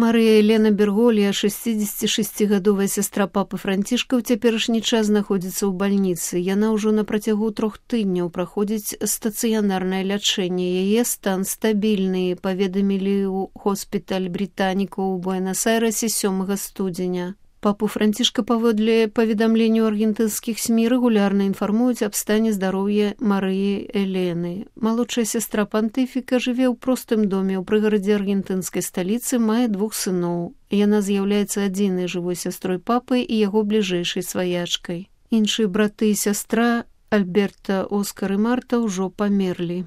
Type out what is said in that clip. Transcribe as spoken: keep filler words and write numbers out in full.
Марыя Елена Берголья, шэсцідзесяцішасцігадовая сястра папы Францішка, ў цяперашні час знаходзіцца ў бальніцы. Яна ўжо на працягу трох тыдняў праходзіць стацыянарнае лячэнне. Яе стан стабільны, паведамілі ў хоспіталь брытанікаў у Буэнас-Айрэсе сёмага студзеня. Папу Францішка, паводле паведамленняў аргентынскіх СМІ, рэгулярна інфармуюць аб стане здароўя Марыі Элены. Малодшая сястра пантыфіка жыве ў простым доме ў прыгарадзе аргентынскай сталіцы, мае двух сыноў. Яна з'яўляецца адзінай жывой сястрой папы і яго бліжэйшай сваячкай. Іншыя браты і сястра, Альберта, Оскар і Марта, ўжо памерлі.